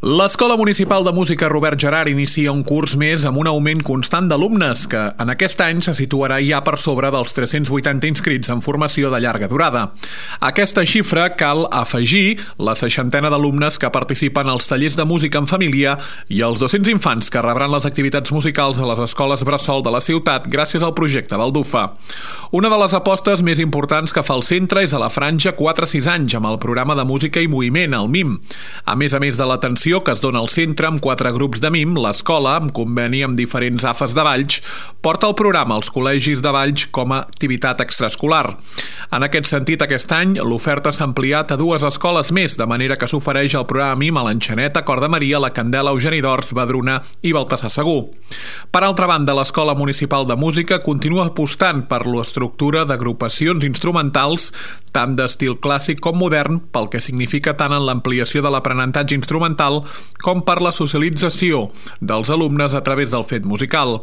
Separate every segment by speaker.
Speaker 1: L'Escola Municipal de Música Robert Gerhard inicia un curs més amb un augment constant d'alumnes que en aquest any se situarà ja per sobre dels 380 inscrits en formació de llarga durada. A aquesta xifra cal afegir la 60 d'alumnes que participen als tallers de música en família i els 200 infants que rebran les activitats musicals a les escoles bressol de la ciutat gràcies al projecte Baldufa. Una de les apostes més importants que fa el centre és a la franja 4-6 anys amb el programa de música i moviment, el MIM. A més de l'atenció que es dona al centre amb 4 grups de MIM, l'escola, amb conveni amb diferents AFES de Valls, porta el programa als col·legis de Valls com a activitat extraescolar. En aquest sentit, aquest any, l'oferta s'ha ampliat a 2 escoles més, de manera que s'ofereix el programa MIM a l'Enxaneta, Cor de Maria, la Candela, Eugeni d'Ors, Badruna i Baltasar Segur. Per altra banda, l'Escola Municipal de Música continua apostant per l'estructura d'agrupacions instrumentals tant d'estil clàssic com modern, pel que significa tant en l'ampliació de l'aprenentatge instrumental com per la socialització dels alumnes a través del fet musical.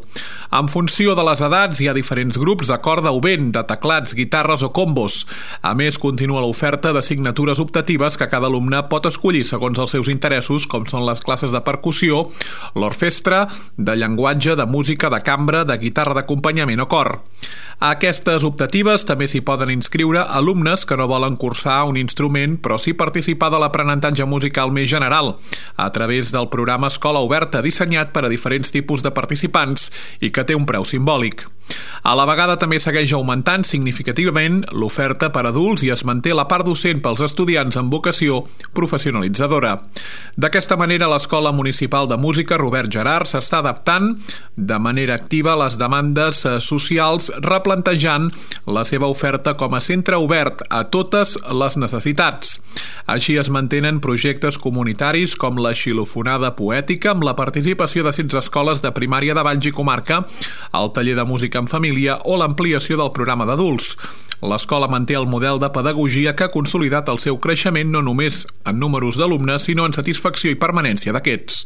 Speaker 1: En funció de les edats hi ha diferents grups de corda o vent, de teclats, guitarres o combos. A més, continua l'oferta d'assignatures optatives que cada alumne pot escollir segons els seus interessos, com són les classes de percussió, l'orquestra, de llenguatge, de música, de cambra, de guitarra d'acompanyament o cor. A aquestes optatives també s'hi poden inscriure alumnes que no volen cursar un instrument però sí participar de l'aprenentatge musical més general, a través del programa Escola Oberta dissenyat per a diferents tipus de participants i que té un preu simbòlic. A la vegada també segueix augmentant significativament l'oferta per a adults i es manté la part docent pels estudiants amb vocació professionalitzadora. D'aquesta manera, l'Escola Municipal de Música Robert Gerhard s'està adaptant de manera activa a les demandes socials, replantejant la seva oferta com a centre obert a totes les necessitats. Així es mantenen projectes comunitaris com la xilofonada poètica amb la participació de 16 escoles de primària de Valls i comarca, el taller de música en família o l'ampliació del programa d'adults. L'escola manté el model de pedagogia que ha consolidat el seu creixement no només en números d'alumnes, sinó en satisfacció i permanència d'aquests.